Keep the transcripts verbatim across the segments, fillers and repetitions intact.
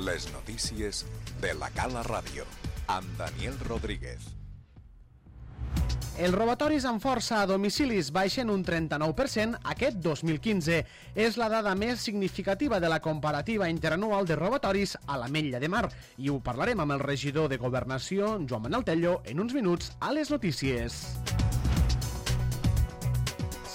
Les notícies de la Cala Ràdio, amb Daniel Rodríguez. Els robatoris amb força a domicilis baixen un trenta-nou per cent aquest dos mil quinze. És la dada més significativa de la comparativa interanual de robatoris a l'Ametlla de Mar. I ho parlarem amb el regidor de Governació, Joan Manel Tello, en uns minuts a les notícies.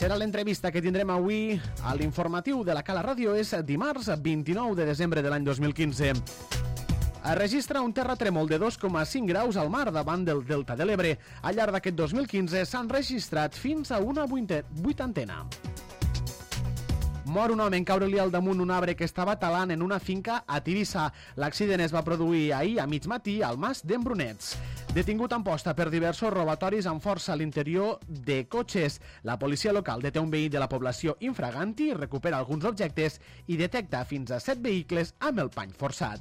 Serà l'entrevista que tindrem avui a l'informatiu de la Cala Ràdio. És dimarts vint-i-nou de desembre de l'any dos mil quinze. Es registra un terratrèmol de dos coma cinc graus al mar davant del Delta de l'Ebre. Al llarg d'aquest dos mil quinze s'han registrat fins a una vuitantena. Mor un home en caure-li al damunt un arbre que estava talant en una finca a Tivissa. L'accident es va produir ahir a mig matí al mas d'Embrunets. Detingut en posta per diversos robatoris amb força a l'interior de cotxes. La policia local deté un veí de la població infraganti, recupera alguns objectes i detecta fins a set vehicles amb el pany forçat.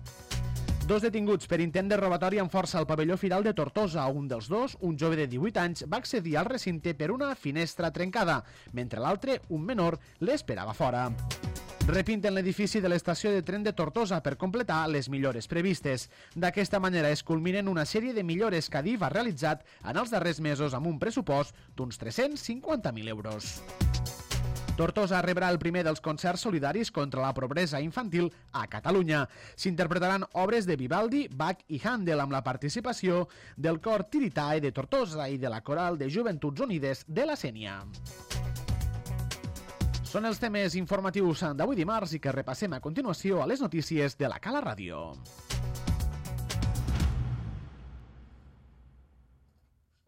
Dos detinguts per intent de robatori amb força al pavelló Firal de Tortosa. Un dels dos, un jove de divuit anys, va accedir al recinte per una finestra trencada, mentre l'altre, un menor, l'esperava fora. Repinten l'edifici de l'estació de tren de Tortosa per completar les millores previstes. D'aquesta manera es culminen una sèrie de millores que Adif ha realitzat en els darrers mesos amb un pressupost d'uns tres-cents cinquanta mil euros. Tortosa rebrà el primer dels concerts solidaris contra la pobresa infantil a Catalunya. S'interpretaran obres de Vivaldi, Bach i Handel amb la participació del cor Tiritae de Tortosa i de la coral de Joventuts Unides de la Sénia. Són els temes informatius d'avui dimarts i que repassem a continuació a les notícies de la Cala Ràdio.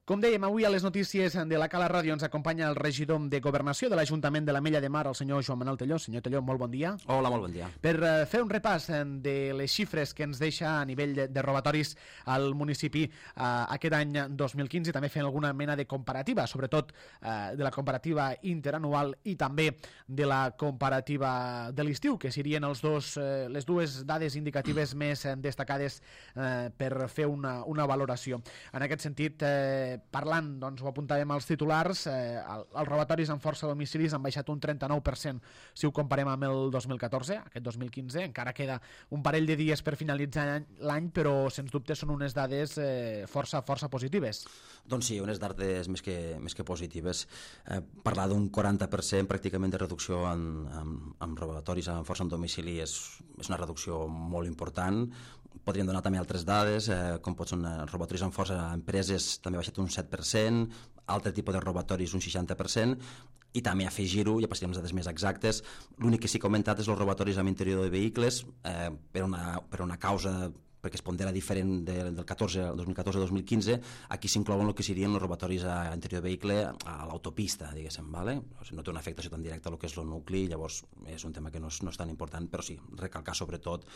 Com dèiem, avui a les notícies de la Cala Ràdio ens acompanya el regidor de Governació de l'Ajuntament de l'Ametlla de Mar, el senyor Joan Manel Tello. Senyor Tello, molt bon dia. Hola, molt bon dia. Per uh, fer un repàs de les xifres que ens deixa a nivell de, de robatoris al municipi uh, aquest any dos mil quinze, també fent alguna mena de comparativa, sobretot uh, de la comparativa interanual i també de la comparativa de l'estiu, que serien els dos, uh, les dues dades indicatives més uh, destacades uh, per fer una, una valoració. En aquest sentit, uh, parlant, doncs ho apuntàvem als titulars, eh, el, els robatoris amb força a domicilis han baixat un trenta-nou per cent si ho comparem amb el dos mil catorze, aquest dos mil quinze, encara queda un parell de dies per finalitzar l'any, però sens dubte són unes dades eh, força força positives. Doncs sí, unes dades més que, més que positives. Eh, parlar d'un quaranta per cent pràcticament de reducció en, en, en robatoris amb força en domicili és, és una reducció molt important. Podríem donar també altres dades, eh, com pot ser robatoris amb força a empreses, també ha baixat un set per cent, altre tipus de robatoris un seixanta per cent, i també afegir-ho, ja passarem les dades més exactes, l'únic que sí que ha augmentat és els robatoris amb interior de vehicles, eh, per, una, per una causa perquè es pondera diferent de, del catorze, dos mil catorze dos mil quinze, aquí s'inclouen el que serien els robatoris a interior de vehicle a l'autopista, diguéssim, vale? O sigui, no té una afectació tan directa al que és el nucli, llavors és un tema que no és, no és tan important, però sí, recalcar sobretot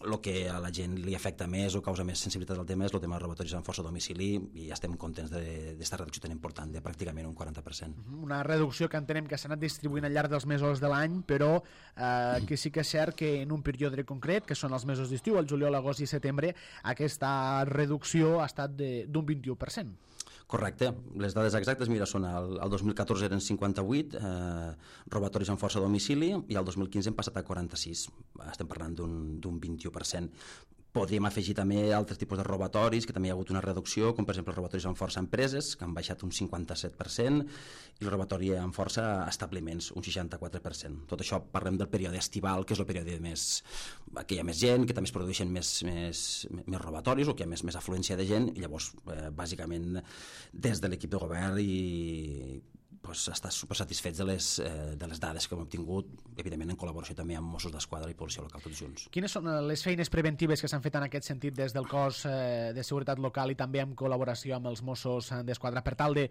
el que a la gent li afecta més o causa més sensibilitat al tema és el tema de robatoris amb força a domicili, i ja estem contents d'esta reducció tan important, de pràcticament un quaranta per cent. Una reducció que entenem que s'ha anat distribuint al llarg dels mesos de l'any, però eh, que sí que és cert que en un període concret, que són els mesos d'estiu, el juliol, agost i setembre, aquesta reducció ha estat d'un vint-i-u per cent. Correcte, les dades exactes, mira, són el, el dos mil catorze eren cinquanta-vuit eh, robatoris amb força a domicili, i el dos mil quinze hem passat a quaranta-sis, estem parlant d'un vint-i-u per cent. Podríem afegir també altres tipus de robatoris, que també hi ha hagut una reducció, com per exemple els robatoris amb força a empreses, que han baixat un cinquanta-set per cent, i el robatori amb força a establiments, un seixanta-quatre per cent. Tot això parlem del període estival, que és el període més, que hi ha més gent, que també es produeixen més, més, més robatoris, o que hi ha més, més afluència de gent, i llavors, eh, bàsicament, des de l'equip de govern i pues, estar super satisfets de les, eh, de les dades que hem obtingut, evidentment en col·laboració també amb Mossos d'Esquadra i Policia Local, tots junts. Quines són les feines preventives que s'han fet en aquest sentit des del cos eh, de seguretat local i també en col·laboració amb els Mossos d'Esquadra per tal de,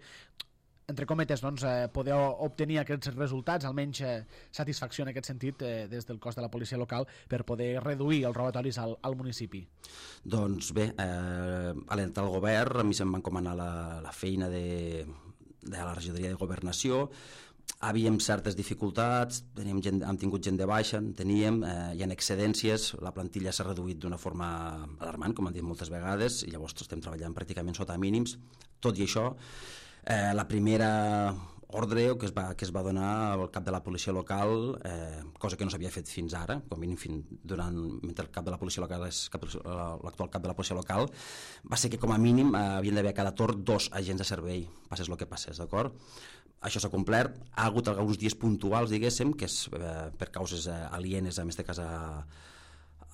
entre cometes, doncs, eh, poder obtenir aquests resultats, almenys eh, satisfacció en aquest sentit eh, des del cos de la policia local per poder reduir els robatoris al, al municipi? Doncs bé, eh, a l'entrar al govern a mi se'm va encomanar la, la feina de, de la regidoria de Governació. Havíem certes dificultats, teníem gent, hem tingut gent de baixa, teníem, eh, hi ha excedències, la plantilla s'ha reduït d'una forma alarmant, com han dit moltes vegades, i llavors estem treballant pràcticament sota mínims. Tot i això, eh, la primera ordre que es, va, que es va donar al cap de la policia local, eh, cosa que no s'havia fet fins ara, com a mínim fins durant, mentre el cap de la policia local és cap, l'actual cap de la policia local, va ser que com a mínim eh, havien d'haver a cada torn dos agents de servei, passés el que passés, d'acord? Això s'ha complert, ha hagut alguns dies puntuals, diguéssim, que és eh, per causes eh, alienes, en aquest cas a,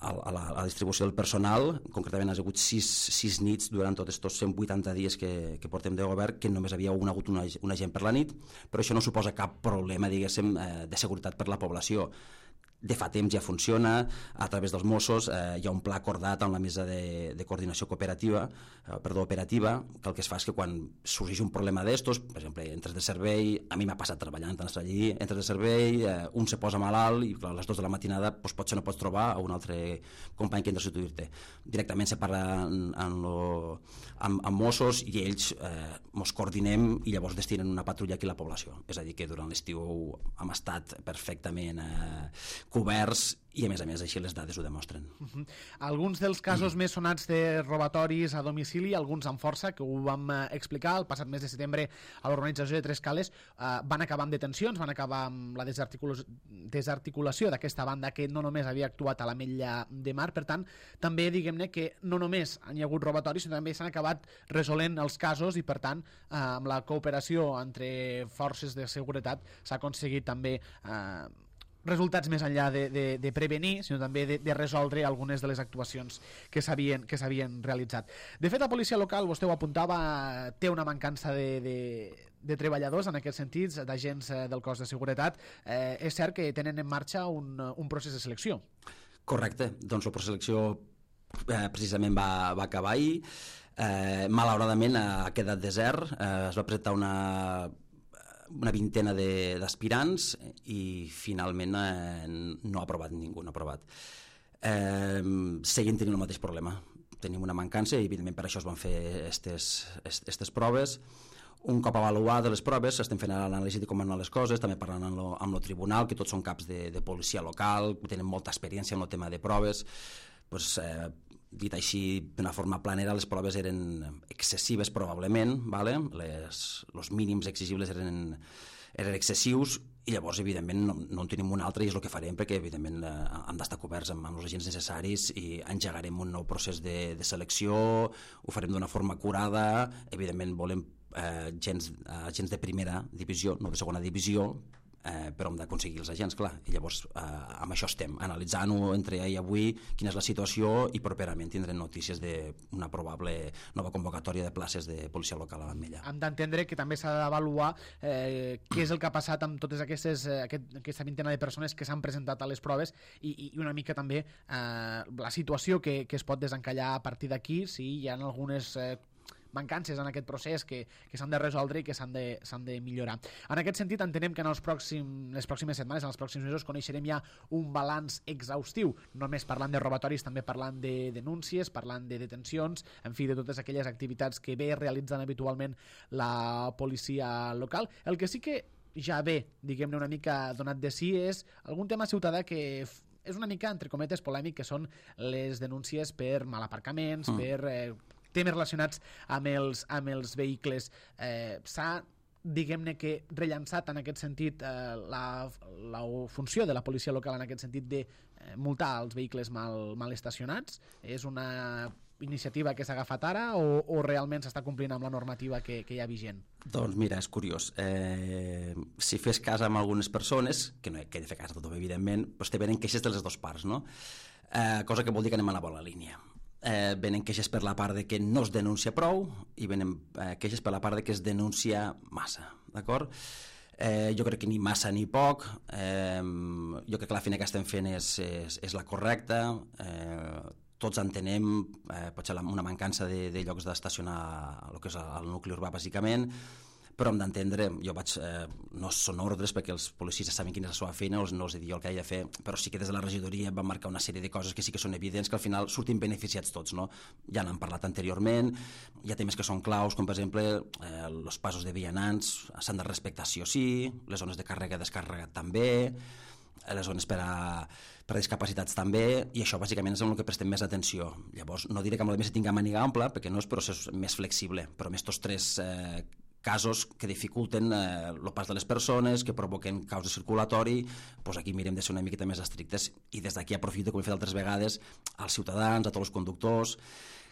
a, la, a la distribució del personal. Concretament ha hagut sis, sis nits durant tots aquests cent vuitanta dies que, que portem de govern, que només havia un, hagut un, un agent per la nit, però això no suposa cap problema, diguéssim, eh, de seguretat per la població. De fa temps ja funciona, a través dels Mossos eh, hi ha un pla acordat amb la mesa de, de coordinació cooperativa, eh, perdó, operativa, que el que es fa és que quan sorgeix un problema d'estos, per exemple, entres de servei, a mi m'ha passat treballant allí, entres de servei, eh, un se posa malalt i clar, a les dues de la matinada doncs, potser no pots trobar a un altre company que entra a substituir-te. Directament se parla en, en lo, amb, amb Mossos i ells eh, mos coordinem i llavors destinen una patrulla aquí a la població. És a dir, que durant l'estiu hem estat perfectament eh, coberts i a més a més així les dades ho demostren. Uh-huh. Alguns dels casos mm. més sonats de robatoris a domicili, alguns amb força, que ho vam eh, explicar el passat mes de setembre a l'organització de Tres Cales, eh, van acabar amb detencions, van acabar amb la desarticula desarticulació d'aquesta banda que no només havia actuat a l'Ametlla de Mar. Per tant, també diguem-ne que no només hi ha hagut robatoris, sinó també s'han acabat resolent els casos i per tant eh, amb la cooperació entre forces de seguretat s'ha aconseguit també eh, resultats més enllà de, de, de prevenir, sinó també de, de resoldre algunes de les actuacions que s'havien que s'havien realitzat. De fet, la policia local, vostè ho apuntava, té una mancança de, de, de treballadors en aquests sentits, d'agents del cos de seguretat. Eh, és cert que tenen en marxa un, un procés de selecció. Correcte, doncs el procés de selecció eh, precisament va, va acabar ahir. Eh, malauradament ha quedat desert, eh, es va presentar una una vintena d'aspirants i finalment eh, no ha aprovat ningú, no ha aprovat. Eh, seguim tenint el mateix problema. Tenim una mancança i evidentment per això es van fer aquestes proves. Un cop avaluades les proves, estem fent l'anàlisi de com han anat les coses, també parlant amb lo, amb lo tribunal, que tots són caps de, de policia local, que tenen molta experiència en el tema de proves. Pues, eh, dit així d'una forma planera, les proves eren excessives probablement, vale? les, els mínims exigibles eren, eren excessius i llavors evidentment no, no en tenim un altre i és el que farem perquè evidentment eh, han d'estar coberts amb, amb els agents necessaris i engegarem un nou procés de, de selecció, ho farem d'una forma curada, evidentment volem eh, gens, eh, agents de primera divisió, no de segona divisió, Eh, però hem d'aconseguir els agents, clar, i llavors eh, amb això estem, analitzant-ho entre ahir i avui, quina és la situació i properament tindrem notícies d'una probable nova convocatòria de places de policia local a l'Ametlla. Hem d'entendre que també s'ha d'avaluar eh, què és el que ha passat amb totes aquestes, eh, aquest, aquesta vintena de persones que s'han presentat a les proves i, i una mica també eh, la situació que, que es pot desencallar a partir d'aquí, si hi ha algunes eh, mancances en aquest procés que, que s'han de resoldre i que s'han de, s'han de millorar. En aquest sentit, entenem que en els pròxims, les pròximes setmanes, en els pròxims mesos, coneixerem ja un balanç exhaustiu, només parlant de robatoris, també parlant de denúncies, parlant de detencions, en fi, de totes aquelles activitats que ve realitzant habitualment la policia local. El que sí que ja ve, diguem-ne, una mica donat de si és algun tema ciutadà que és una mica, entre cometes, polèmic, que són les denúncies per malaparcaments, mm. per eh, temes relacionats amb els, amb els vehicles. Eh, s'ha, diguem-ne que, rellançat en aquest sentit eh, la, la funció de la policia local en aquest sentit de eh, multar els vehicles mal, mal estacionats. És una iniciativa que s'ha agafat ara o, o realment s'està complint amb la normativa que, que hi ha vigent? Doncs mira, és curiós. Eh, si fes cas amb algunes persones, que no he de fer cas de tothom, evidentment, doncs te venen queixes de les dues parts, no? Eh, cosa que vol dir que anem a la bona línia. Eh, venen queixes per la part de que no es denuncia prou i venen eh, queixes per la part de que es denuncia massa, d'acord? Eh, jo crec que ni massa ni poc, eh, jo crec que la feina que estem fent és, és, és la correcta, eh, tots entenem eh, potser una mancança de, de llocs d'estacionar el que és el nucli urbà bàsicament, però hem d'entendre, jo vaig, eh, no són ordres perquè els policies saben quina és la seva feina, no els he dit jo el que he de fer, però sí que des de la regidoria van marcar una sèrie de coses que sí que són evidents, que al final surtin beneficiats tots, no? Ja n'han parlat anteriorment, hi ha temes que són claus, com per exemple eh, els passos de vianants s'han de respectar sí o sí, les zones de càrrega i descàrrega també, les zones per a, per a discapacitats també, i això bàsicament és en el que prestem més atenció. Llavors, no diré que amb la més tinga màniga ampla, perquè no és procés més flexible, però amb aquests tres eh, casos que dificulten eh, el pas de les persones, que provoquen caos de circulatori, doncs aquí mirem de ser una miqueta més estrictes i des d'aquí aprofito, com he fet altres vegades, als ciutadans, a tots els conductors,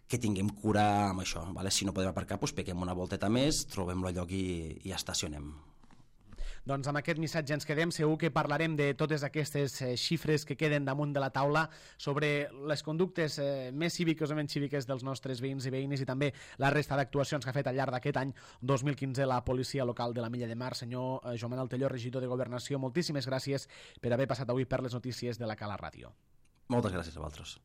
que tinguem cura amb això. Vale? Si no podem aparcar, doncs peguem una volteta més, trobem el lloc i, i estacionem. Doncs amb aquest missatge ens quedem. Segur que parlarem de totes aquestes eh, xifres que queden damunt de la taula sobre les conductes eh, més cíviques o menys cíviques dels nostres veïns i veïnes i també la resta d'actuacions que ha fet al llarg d'aquest any dos mil quinze la policia local de la Milla de Mar. Senyor eh, Joan Manuel Telló, regidor de Governació, moltíssimes gràcies per haver passat avui per les notícies de la Cala Ràdio. Moltes gràcies a vosaltres.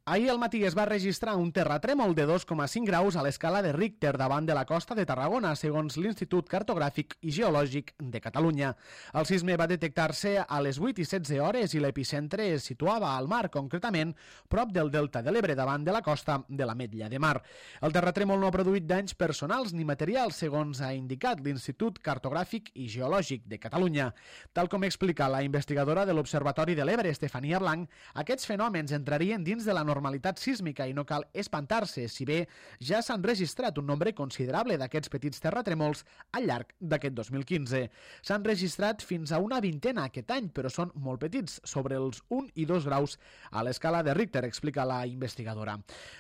Ahir al matí es va registrar un terratrèmol de dos coma cinc graus a l'escala de Richter davant de la costa de Tarragona, segons l'Institut Cartogràfic i Geològic de Catalunya. El sisme va detectar-se a les vuit i setze hores i l'epicentre es situava al mar, concretament prop del Delta de l'Ebre, davant de la costa de l'Ametlla de Mar. El terratrèmol no ha produït danys personals ni materials, segons ha indicat l'Institut Cartogràfic i Geològic de Catalunya. Tal com explica la investigadora de l'Observatori de l'Ebre, Estefania Blanc, aquests fenòmens entrarien dins de la normalitat sísmica i no cal espantar-se, si bé ja s'han registrat un nombre considerable d'aquests petits terratrèmols al llarg d'aquest dos mil quinze. S'han registrat fins a una vintena aquest any, però són molt petits, sobre els un i dos graus a l'escala de Richter, explica la investigadora.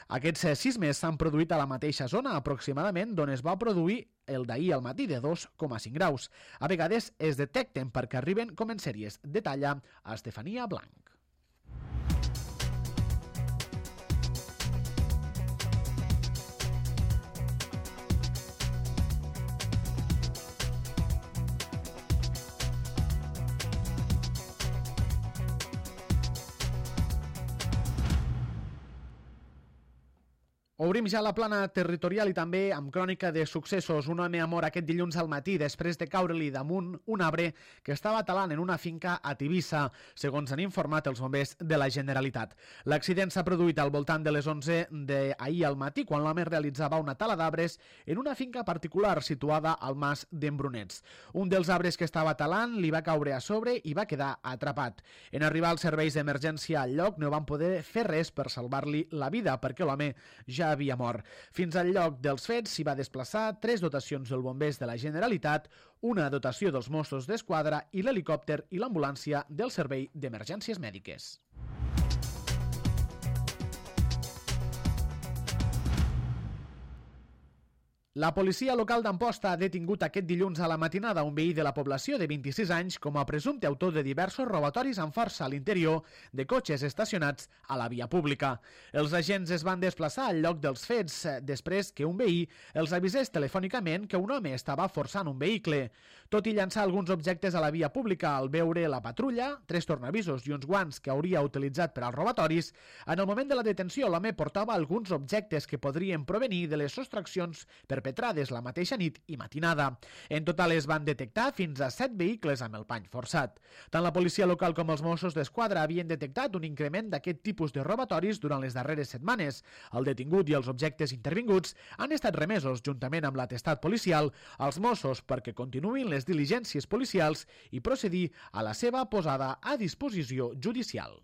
Aquests sismes s'han produït a la mateixa zona, aproximadament, d'on es va produir el d'ahir al matí, de dos coma cinc graus. A vegades es detecten perquè arriben com en sèries, detalla a Estefania Blanc. Obrim ja la plana territorial i també amb crònica de successos. Un home ha mort aquest dilluns al matí després de caure-li damunt un arbre que estava talant en una finca a Tivissa, segons han informat els bombers de la Generalitat. L'accident s'ha produït al voltant de les onze d'ahir al matí, quan l'home realitzava una tala d'arbres en una finca particular situada al mas d'Embrunets. Un dels arbres que estava talant li va caure a sobre i va quedar atrapat. En arribar als serveis d'emergència al lloc no van poder fer res per salvar-li la vida, perquè l'home ja havia mort. Fins al lloc dels fets s'hi va desplaçar tres dotacions dels bombers de la Generalitat, una dotació dels Mossos d'Esquadra i l'helicòpter i l'ambulància del Servei d'Emergències Mèdiques. La policia local d'Amposta ha detingut aquest dilluns a la matinada un veí de la població de vint-i-sis anys com a presumpte autor de diversos robatoris amb força a l'interior de cotxes estacionats a la via pública. Els agents es van desplaçar al lloc dels fets després que un veí els avisés telefònicament que un home estava forçant un vehicle. Tot i llançar alguns objectes a la via pública al veure la patrulla, tres tornavisos i uns guants que hauria utilitzat per als robatoris, en el moment de la detenció l'home portava alguns objectes que podrien provenir de les sostraccions perpetrades la mateixa nit i matinada. En total es van detectar fins a set vehicles amb el pany forçat. Tant la policia local com els Mossos d'Esquadra havien detectat un increment d'aquest tipus de robatoris durant les darreres setmanes. El detingut i els objectes intervinguts han estat remesos, juntament amb l'atestat policial, als Mossos perquè continuïn les diligències policials i procedir a la seva posada a disposició judicial.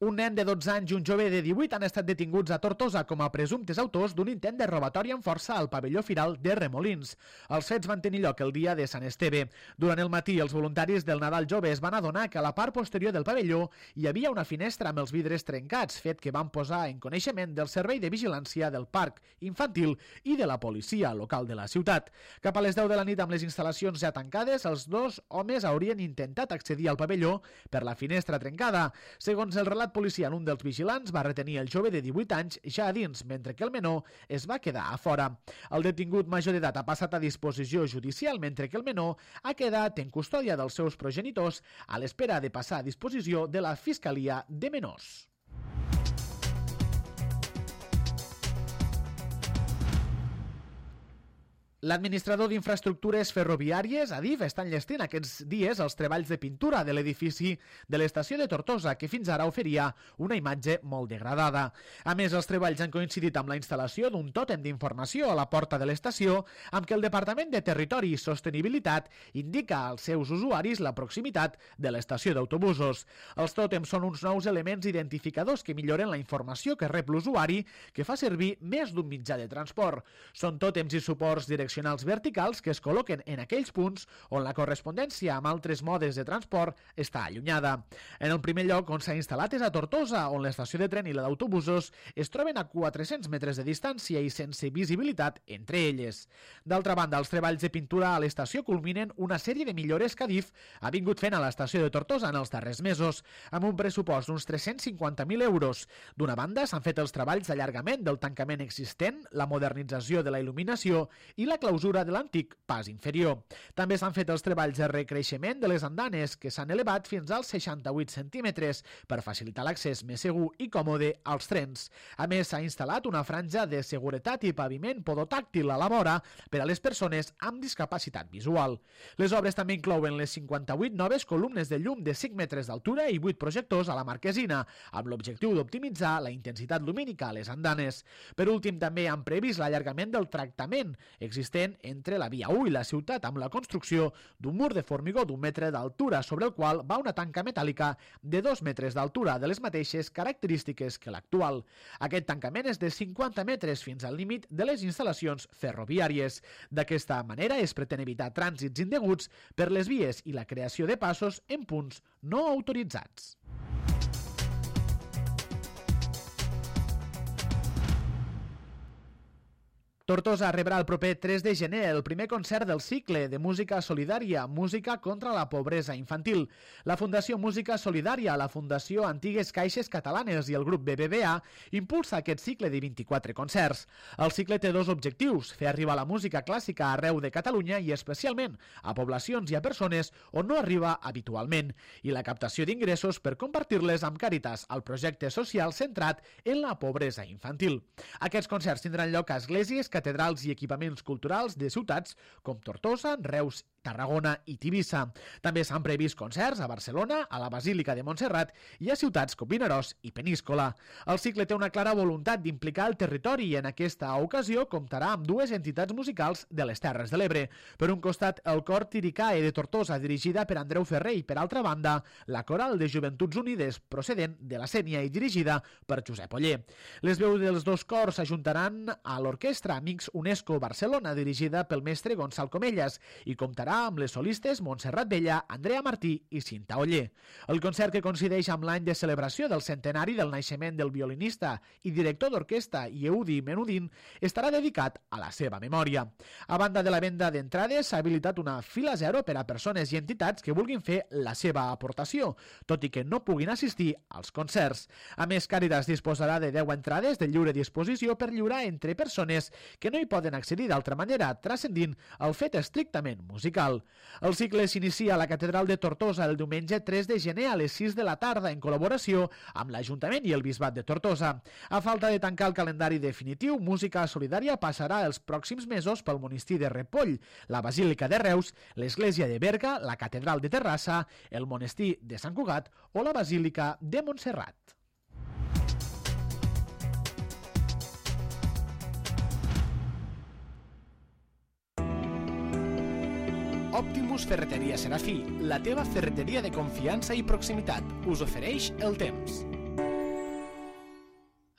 Un nen de dotze anys i un jove de divuit han estat detinguts a Tortosa com a presumptes autors d'un intent de robatori amb força al pavelló firal de Remolins. Els fets van tenir lloc el dia de Sant Esteve. Durant el matí, els voluntaris del Nadal Jove es van adonar que a la part posterior del pavelló hi havia una finestra amb els vidres trencats, fet que van posar en coneixement del Servei de Vigilància del Parc Infantil i de la policia local de la ciutat. Cap a les deu de la nit, amb les instal·lacions ja tancades, els dos homes haurien intentat accedir al pavelló per la finestra trencada. Segons el relat policia, un dels vigilants va retenir el jove de divuit anys ja a dins, mentre que el menor es va quedar a fora. El detingut major d'edat ha passat a disposició judicial, mentre que el menor ha quedat en custòdia dels seus progenitors a l'espera de passar a disposició de la Fiscalia de Menors. L'administrador d'Infraestructures Ferroviàries, Adif, està enllestint aquests dies els treballs de pintura de l'edifici de l'estació de Tortosa, que fins ara oferia una imatge molt degradada. A més, els treballs han coincidit amb la instal·lació d'un tòtem d'informació a la porta de l'estació, amb què el Departament de Territori i Sostenibilitat indica als seus usuaris la proximitat de l'estació d'autobusos. Els tòtems són uns nous elements identificadors que milloren la informació que rep l'usuari, que fa servir més d'un mitjà de transport. Són tòtems i suports direccionals verticals que es col·loquen en aquells punts on la correspondència amb altres modes de transport està allunyada. En el primer lloc on s'ha instal·lat és a Tortosa, on l'estació de tren i la d'autobusos es troben a quatre-cents metres de distància i sense visibilitat entre elles. D'altra banda, els treballs de pintura a l'estació culminen una sèrie de millores que Adif ha vingut fent a l'estació de Tortosa en els darrers mesos, amb un pressupost d'uns tres-cents cinquanta mil euros. D'una banda, s'han fet els treballs d'allargament del tancament existent, la modernització de la il·luminació i la clausura de l'antic pas inferior. També s'han fet els treballs de recreixement de les andanes, que s'han elevat fins als seixanta-vuit centímetres per facilitar l'accés més segur i còmode als trens. A més, s'ha instal·lat una franja de seguretat i paviment podotàctil a la vora per a les persones amb discapacitat visual. Les obres també inclouen les cinquanta-vuit noves columnes de llum de cinc metres d'altura i vuit projectors a la marquesina, amb l'objectiu d'optimitzar la intensitat lumínica a les andanes. Per últim, també han previst l'allargament del tractament existent entre la via u i la ciutat amb la construcció d'un mur de formigó d'un metre d'altura sobre el qual va una tanca metàl·lica de dos metres d'altura de les mateixes característiques que l'actual. Aquest tancament és de cinquanta metres fins al límit de les instal·lacions ferroviàries. D'aquesta manera es pretén evitar trànsits indeguts per les vies i la creació de passos en punts no autoritzats. Tortosa rebrà el proper tres de gener el primer concert del cicle de música solidària, Música contra la pobresa infantil. La Fundació Música Solidària, la Fundació Antigues Caixes Catalanes i el grup B B V A impulsa aquest cicle de vint-i-quatre concerts. El cicle té dos objectius, fer arribar la música clàssica arreu de Catalunya i especialment a poblacions i a persones on no arriba habitualment, i la captació d'ingressos per compartir-les amb Càritas, el projecte social centrat en la pobresa infantil. Aquests concerts tindran lloc a esglésies, catedrals i equipaments culturals de ciutats com Tortosa, Reus, Tarragona i Tivissa. També s'han previst concerts a Barcelona, a la Basílica de Montserrat i a ciutats com Vinaròs i Peníscola. El cicle té una clara voluntat d'implicar el territori i en aquesta ocasió comptarà amb dues entitats musicals de les Terres de l'Ebre. Per un costat, el Cor Tiricae de Tortosa, dirigida per Andreu Ferrer, i per altra banda, la Coral de Joventuts Unides, procedent de la Sénia i dirigida per Josep Oller. Les veus dels dos cors s'ajuntaran a l'Orquestra Amics UNESCO Barcelona, dirigida pel mestre Gonçal Comellas, i comptarà amb les solistes Montserrat Vella, Andrea Martí i Cinta Oller. El concert, que coincideix amb l'any de celebració del centenari del naixement del violinista i director d'orquestra Yehudi Menudin, estarà dedicat a la seva memòria. A banda de la venda d'entrades, s'ha habilitat una fila zero per a persones i entitats que vulguin fer la seva aportació, tot i que no puguin assistir als concerts. A més, Càritas disposarà de deu entrades de lliure disposició per lliurar entre persones que no hi poden accedir d'altra manera, transcendint el fet estrictament musical. El cicle s'inicia a la Catedral de Tortosa el diumenge tres de gener a les sis de la tarda en col·laboració amb l'Ajuntament i el Bisbat de Tortosa. A falta de tancar el calendari definitiu, Música Solidària passarà els pròxims mesos pel monestir de Ripoll, la Basílica de Reus, l'Església de Berga, la Catedral de Terrassa, el monestir de Sant Cugat o la Basílica de Montserrat. Optimus Ferreteria Serafí, la teva ferreteria de confiança i proximitat, us ofereix el temps.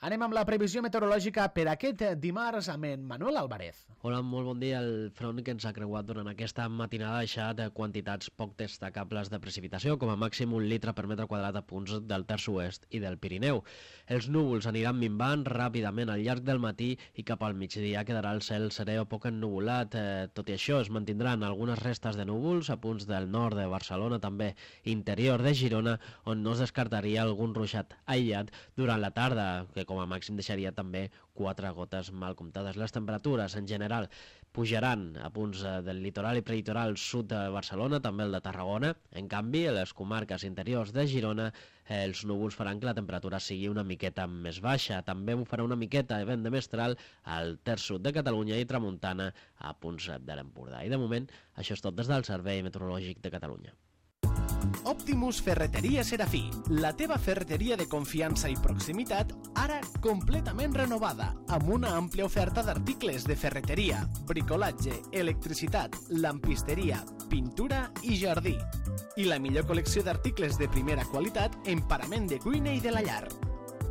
Anem amb la previsió meteorològica per aquest dimarts amb en Manuel Álvarez. Hola, molt bon dia. El front que ens ha creuat durant aquesta matinada ha deixat quantitats poc destacables de precipitació, com a màxim un litre per metre quadrat a punts del terç oest i del Pirineu. Els núvols aniran minvant ràpidament al llarg del matí i cap al migdia quedarà el cel serè o poc ennuvolat. Eh, tot i això, es mantindran algunes restes de núvols a punts del nord de Barcelona, també interior de Girona, on no es descartaria algun ruixat aïllat durant la tarda, que com com a màxim deixaria també quatre gotes mal comptades. Les temperatures en general pujaran a punts del litoral i prelitoral sud de Barcelona, també el de Tarragona. En canvi, a les comarques interiors de Girona, els núvols faran que la temperatura sigui una miqueta més baixa. També ho farà una miqueta de vent de mestral al terç sud de Catalunya i tramuntana a punts de l'Empordà. I de moment, això és tot des del Servei Meteorològic de Catalunya. Optimus Ferreteria Serafí, la teva ferreteria de confiança i proximitat, ara completament renovada, amb una àmplia oferta d'articles de ferreteria, bricolatge, electricitat, lampisteria, pintura i jardí. I la millor col·lecció d'articles de primera qualitat en parament de cuina i de la llar.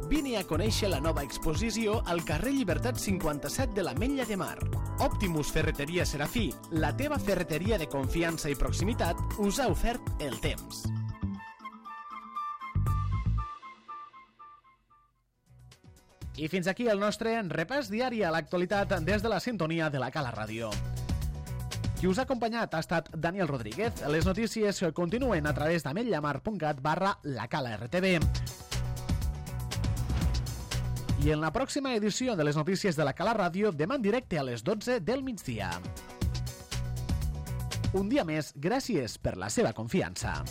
Vine a conèixer la nova exposició al carrer Llibertat cinquanta-set de l'Ametlla de Mar. Optimus Ferreteria Serafí, la teva ferreteria de confiança i proximitat, us ha ofert el temps. I fins aquí el nostre repàs diari a l'actualitat des de la sintonia de la Cala Ràdio. Qui us ha acompanyat ha estat Daniel Rodríguez. Les notícies continuen a través d'ametllamar.cat barra la Cala R T V. I en la pròxima edició de les notícies de la Cala Ràdio, demà en directe a les dotze del migdia. Un dia més, gràcies per la seva confiança.